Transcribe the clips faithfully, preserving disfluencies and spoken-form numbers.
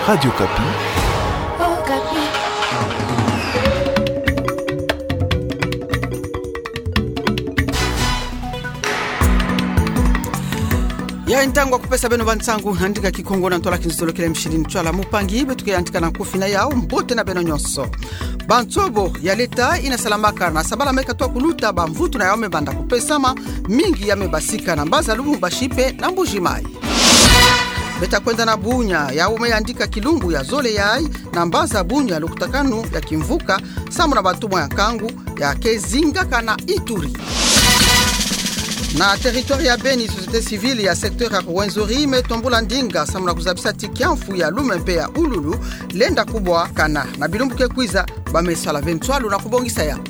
Radio Okapi. Yayi ntangu ya kupesa beno bansangu na ndinga Kikongo na ntwala kinzolokele mishili ntwala. Mupangi, beto ke yantika na nkufi na yawu. Mbote na beno nyonso. Bansobo ya leta ina salamaka na sabala me katwa kuluta, bamvutu na yawu me banda kupesama, mingi ya me basika na mbanza Lubumbashi mpe na Mbuji-Mayi. Beta kwenda na Bunia, yawu me yandika kilumbu ya zole yayi na mbanza Bunia lukutakanu ya kimvuka sambu na bantumwa ya nkangu ya ke zingaka na Ituri. Na territoire ya Beni, société civile ya secteur ya Rwenzori me tombula ndinga sambu na kuzabisa ti kiamfu ya Lume mpe ya Ululu lenda kubwakana. Na bilumbu ke kwiza, ba me sala ve nswalu na kubongisa yawu.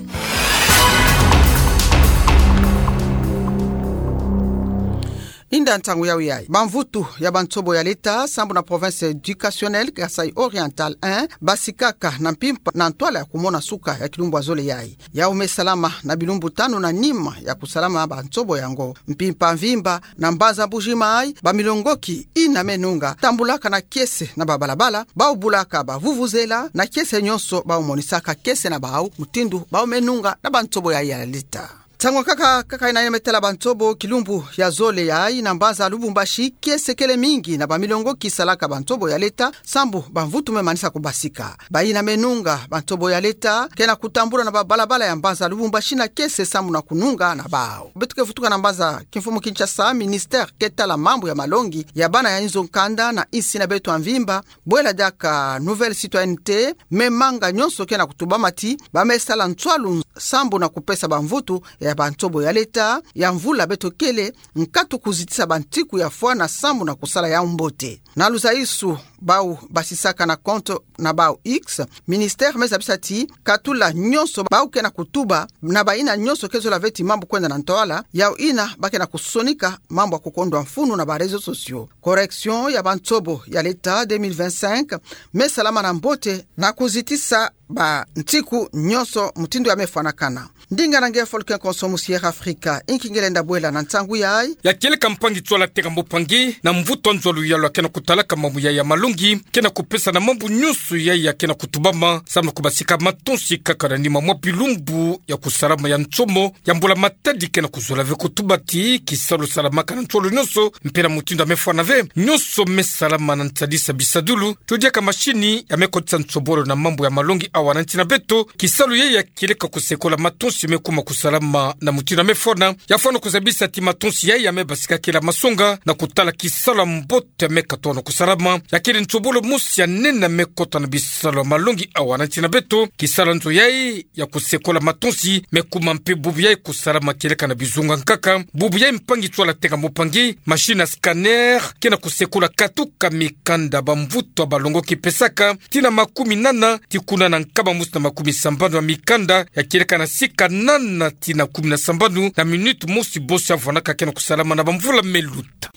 Inda ntangu yawu yayi. Bamvutu ya bansobo ya leta sambu na province éducationnelle Kasaï Oriental un basikaka na mpimpa na ntwala ya kumona suka ya kilumbu ya zole yayi. Yawu me salama na bilumbu tanu na nima ya kusalama bansobo yango. Mpimpa mvimba na mbanza Mbuji-Mayi, bamilongoki ina me nunga tambulaka na kiese na babalabala, bawu bulaka bavuvuzela na kiese nyonso, bawu monisaka kiese na bawu mutindu bawu me nunga na bansobo yayi ya leta. Ntangu nkaka, nkaka ina ina me tala bansobo kilumbu ya zole yayi na mbanza Lubumbashi, kiese kele mingi na bamilongoki salaka bansobo ya leta sambu bamvutu me manisa kubasika. Bayina me nunga bansobo ya leta ke na kutambula na babalabala ya mbanza Lubumbashi na kiese sambu na kununga na bawu. Beto ke vutuka na mbanza kimfumu Kinshasa, ministère ke tala mambu ya malongi ya bana ya inzo nkanda na insi na beto ya mvimba, bwela diaka Nouvelle Citoyenneté, me manga nyonso ke na kutubama ti ba me sala nswalu sambu na kupesa bamvutu ya bansobo ya leta ya mvula beto kele nkatu kuzitisa bantiku ya fwana sambu na kusala yawu mbote. Na luzayisu bawu basisaka na compte na bawu X, ministère me zabisa ti katula nyonso bawu ke na kutuba na bayina nyonso ke zola ve ti mambu kwenda na ntwala, yawu ina ba ke na kusonika mambu ya kukondwa mfunu na ba réseaux sociaux. Correction ya bansobo ya leta deux mille vingt-cinq me salama na mbote na kuzitisa bantiku nyonso mutindu ya me fwanakana. Ndinga na nge Folke Konso mu Sierra Africa, inki ngelenda bwela na ntangu yayi. Ya kieleka mpangi ntwala Tenga Mbupangi, na mvutu wa nzolo ya lwa ke na kutalaka mambu yayi ya malongi, ke na kupesa na mambu nyonso yayi ya ke na kutubama sambu na kubasika matonsi kaka na nima mwa bilumbu ya kusalama ya nsomo ya mbula matadi ke na kuzola ve. Kutuba ti kisalu salamaka na nzolo nyonso mpe na mutindu ya me fwana ve, nyonso me salama na nsadisa bisadulu, to diaka mashini ya me kotisa nsobolo na mambu ya malongi awa na nsi na beto. Kisalu yayi ya kieleka kusekola matonsi me kuma kusalama na mutindu ya me fwana. Ya fwana kuzabisa ti matonsi yayi ya me basikakela masonga na kutala kisalu ya mbote ya me katona kusalama. Ya kele nsobolo mosi ya nene ya me kota na bisalu ya malongi awa na nsi na beto. Kisalu ya nzo yayi ya kusekola matonsi me kuma mpe bubu yayi kusalama kieleka na bizunga nkaka. Bubu yayi mpangi ntwala Tenga Mbupangi, mashini ya scanner ke na kusekola katuka mikanda bamvutu ya balongoki pesaka, tii na makumi nana tii kuna na nkama mosi na makumi sambanu ya mikanda ya kieleka na sika nana tii na kumi na sambanu na minute mosi bosi ya vwanaka ke na kusalama na bamvula me luta.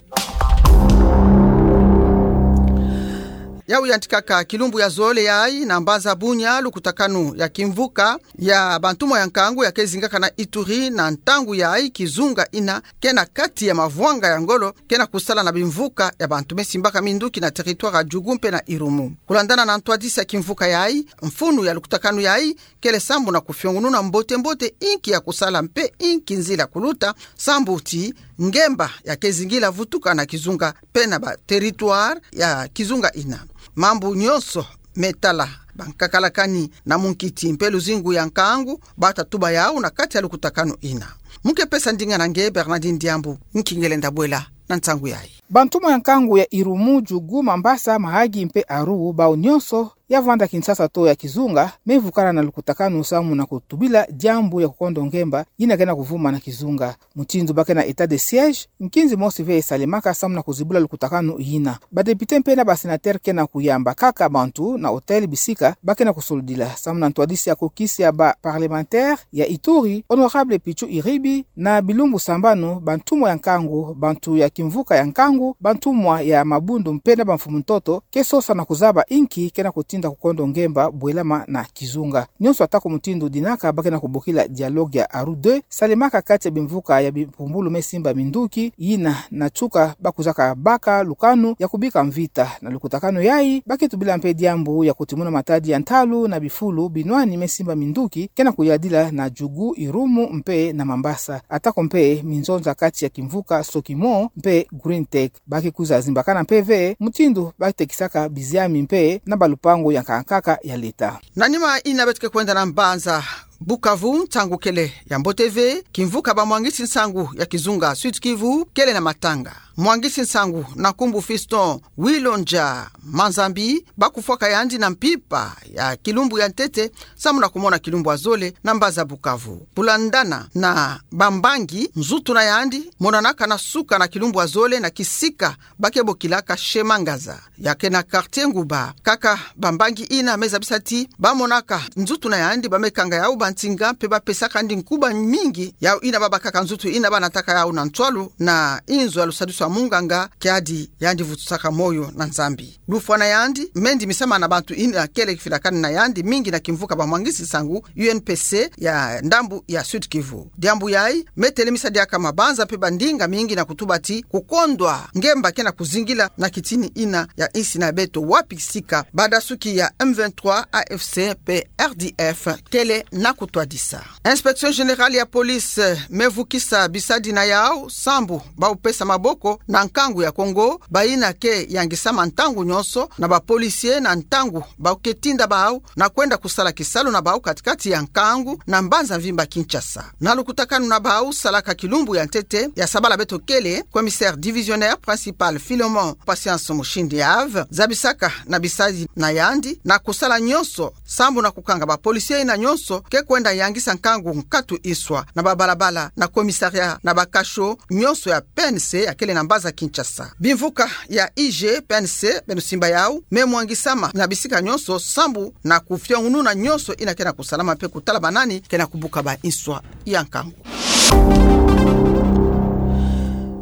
Yawu yantikaka kilumbu ya zole yayi na mbanza Bunia lukutakanu ya kimvuka ya bantumwa ya nkangu ya ke zingaka na Ituri. Na ntangu yayi kizunga ina ke na kati ya mavwanga ya ngolo ke na kusala na bimvuka ya bantu me simbaka minduki na territoire ya Djugu mpe na Irumu. Kulandana na ntwadisi ya kimvuka yayi, mfunu ya lukutakanu yayi kele sambu na kufiongununa mbote mbote inki ya kusala mpe inki nzila kuluta, sambu ti ngemba ya ke zingila vutuka na kizunga mpe na ba territoire ya kizunga ina. Mambu nyonso me tala bankakalakani na munkiti mpe luzingu ya nkangu, bata tuba yawu na kati ya lukutakanu ina. Mu ke pesa ndinga na nge Bernardine Diambu, nki ngelenda bwela na ntangu yayi. Bantumwa ya nkangu ya Irumu, Djugu, Mambasa, Mahagi mpe Aru, bawu nyonso ya vanda Kinshasa to ya kizunga, me vukana na lukutakanu sambu na kutubila diambu ya kukondo ngemba yina ke na kuvuma na kizunga. Mutindu ba ke na état de siège, nkinzi mosi ve esalemaka sambu na kuzibula lukutakanu yina. Ba député mpe na ba sénateur ke na kuyamba kaka bantu na hôtel bisika ba ke na kusolidila. Sambu na ntwadisi ya kokisi ya ba parlementaire ya Ituri, honorable Pitchou Iribi, na bilumbu sambanu, bantumwa ya nkangu, bantu ya Kimvuka ya nkangu, bantumwa ya mabundu mpe na bamfumu-ntoto ke sosa na kuzaba inki ke na kutinda kukondo ngemba bwelama na kizunga. Nyonso atako mutindu dinaka ba ke na kubokila dialogue ya Arua deux salemaka kati ya bimvuka ya bimpumbulu me simba minduki, yina na tuka ba kuzaka baka lukanu ya kubika mvita. Na lukutakanu yayi, ba ke tubila mpe diambu ya kutimuna matadi ya ntalu na bifulu binwani me simba minduki ke na kuyadila na Djougou, Irumu mpe na Mambasa. Atako mpe minzonza kati ya kimvuka Sokimo mpe Greentech. Ba ke kwiza zimbakana mpe ve mutindu ba tekisaka biziami mpe na balupangu ya nkaka nkaka ya leta. Na nima ina beto ke kwenda na mbanza Bukavu, nsangu kele ya mbote ve, kimvuka bamwangisi nsangu ya kizunga Sud-Kivu kele na matanga. Mwangisi nsangu na nkumbu Fiston Wilonja Manzambi, ba kufwaka yandi na mpimpa ya kilumbu ya ntete, samu na kumona kilumbu ya zole na mbanza Bukavu. Kulandana na bambangi, nzutu na yandi monanaka na suka na kilumbu ya zole na kisika ba ke bokilaka Chemin Ngaza, ya ke na quartier Nguba. Kaka bambangi ina me zabisa ti ba monaka nzutu na yandi, ba me kanga yau bansinga mpe ba pesaka yandi nkuba mingi. Yau ina ba bakaka nzutu ina ba nataka yau na ntwalu na inzo ya lusadisu ya munganga, kiadi yandi vutusaka moyo na Nzambi. Lufwa na yandi me ndimisama na bantu ina kele kifilakani na yandi mingi na kimvuka bamwangisi nsangu U N P C ya ndambu ya Sud-Kivu. Diambu yayi me telemisa diaka mabanza mpe bandinga mingi na kutuba ti kukondwa ngemba ke na kuzingila na kitini ina ya insi na beto, wapi kisika badasuki ya M vingt-trois, A F C mpe R D F kele na kutwadisa. Inspection Générale ya Police me vukisa bisadi na yau sambu ba kupesa maboko na nkangu ya Kongo, bayina ke yangisama ntangu nyonso na ba policiers na ntangu ba ke tinda bau na kwenda kusala kisalu na bau kati-kati ya nkangu na mbanza mvimba Kinshasa. Na lukutakanu na bau salaka kilumbu ya ntete ya sabala beto kele, commissaire divisionnaire principal Philemon Patience Mushindi Yves zabisaka na bisadi na yandi na kusala nyonso sambu na kukanga ba policiers ina nyonso ke kwenda yangisa nkangu nkatu iswa na babalabala, na commissariat, na ba cachot nyonso ya P N C ya kele na mbanza Kinshasa. Bimvuka ya I G P N C, beno simba yau, me mwangisama na bisika nyonso sambu na kufiongununa nyonso ina ke na kusalama mpe kutala ba nani ke na kubuka ba iswa ya nkangu.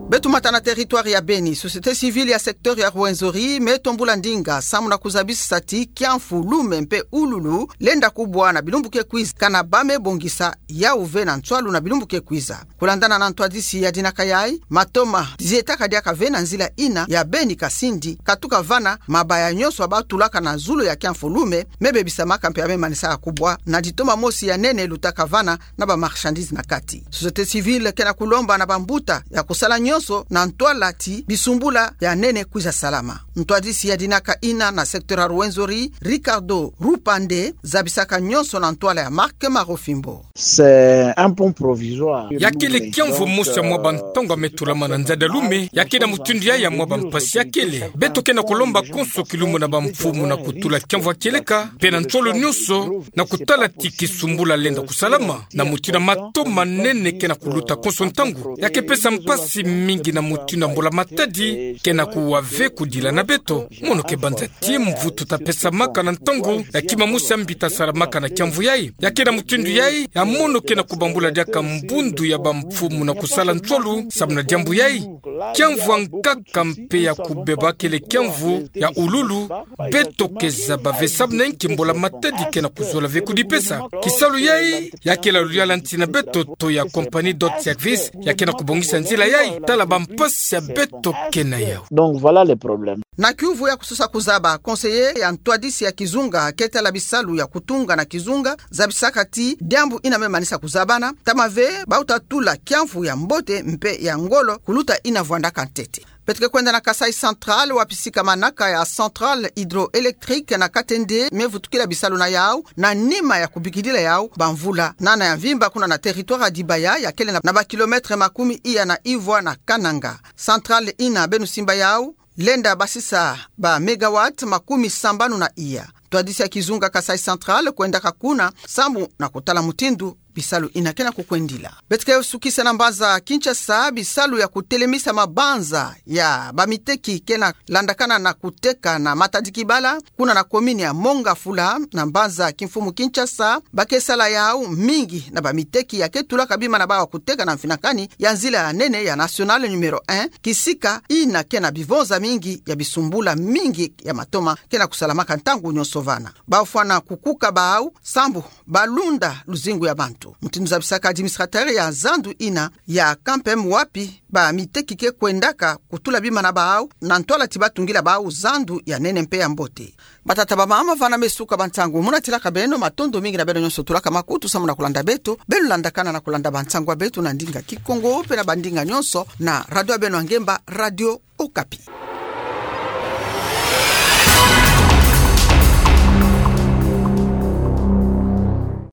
Beto mata na territoire ya Beni. Société civile ya secteur ya Rwenzori me tombula ndinga samu na kuzabisa ti kiamfu, lume mpe ululu lenda kubwa na bilumbu ke kwiza, kana ba me bongisa yau ve na ntwalu na bilumbu ke kwiza. Kulandana na ntwadisi ya dinaka yayi, matoma zietaka diaka ve na nzila ina ya Beni-Kasindi, katuka vana mabaya nyonso ba tulaka na zulu ya kiamfu, lume, me bebisamaka mpe ya me manisaka kubwa, na ditoma mosi ya nene lutaka vana na ba marchandises na kati. Société civile ke na kulomba na bambuta ya kusala nyonso na ntwala ti bisumbula ya nene kwiza salama. Ntwadisi ya dinaka ina na secteur ya Rwenzori, Ricardo Rupande, zabisaka nyonso na ntwala ya Marc Marofimbo. C'est un pont provisoire. Ya kele kiamvu mosi ya mwa bantangu ya me tulama na nzadi ya lume, ya ke na mutindu yayi ya mwa bampasi ya kele. Beto ke na kulomba konso kilumbu na bamfumu na kutula kiamvu ya kieleka, mpe na nsolo nyonso, na kutala ti kisumbula lenda kusalama, na mutindu ya mato manene ke na kuluta konso ntangu, ya ke pesa mpasi mingi na mutindu ya mbula-matadi ke na kuwa ve kudila na beto. Mono ke banza ti mvutu ta pesamaka na ntangu ya kima mosi ya mbi ta salamaka na kiamvu yayi. Ya ke na mutindu yayi ya mono ke na kubambula diaka mbundu ya bamfumu na kusala nsolo samu na diambu yayi. Kiamvu ya nkaka mpe ya kubeba kele kiamvu ya ululu, beto ke zaba ve samu na inki mbula-matadi ke na kuzola ve kudipesa. Kisalu yayi ya ke la luyalu ya nsi na beto to ya compagnie d'auto-service ya ke na kubongisa nzila yayi. Tala bampasi ya beto ke na yau. Donc voilà le problème. Na kiuvu ya kusosa kuzaba, conseiller ya ntwadisi ya kizunga ke tala bisalu ya kutunga na kizunga zabisaka ti diambu ina me manisa kuzabana, tama ve bau ta tula kiamvu ya mbote mpe ya ngolo kuluta ina vwandaka ntete. Beto ke kwenda na Kasaï Central, wapi sika manaka ya centrale hydroélectrique na Katende me vutukila bisalu na yau, na nima ya kubikidila yau bamvula nana ya mvimba kuna na territoire ya Dibaya, ya kele na, na ba kilomètre makumi iya na ivwa na Kananga. Centrale ina, beno simba yau, lenda basisa ba mégawatts makumi sambanu na iya. Ntwadisi ya kizunga Kasaï Central kwendaka kuna sambu na kutala mutindu bisalu ina ke na kukwendila. Beto ke sukisa na mbanza Kinshasa, bisalu ya kutelemisa mabanza ya bamiteki ke na landakana na kuteka na matadiki bala, kuna na commune ya Mont-Ngafula, na mbanza kimfumu Kinshasa, ba ke sala yawu mingi na bamiteki ya ke tulaka bima na bawu kuteka na mfinakani ya nzila ya nene ya nationale numéro un, kisika ina ke na bivonza mingi ya bisumbula mingi ya matoma ke na kusalamaka ntangu nyonso vana. Bafwana kukuka bawu, sambu balunda luzingu ya bantu. Mutindu zabisaka administrateur ya zandu ina ya Kampem, wapi bamiteki ke kwendaka kutula bima na bawu, na ntwala ti batungila bawu zandu ya nene mpe ya mbote. Batata, bamama, vana me suka bantangu, mu natilaka beno, matondo mingi na beno nyonso tulaka makutu samu na kulanda beto. Beno landakana na kulanda bantangu ya beto na ndinga Kikongo mpe na bandinga nyonso na radio ya beno ya ngemba, Radio Okapi.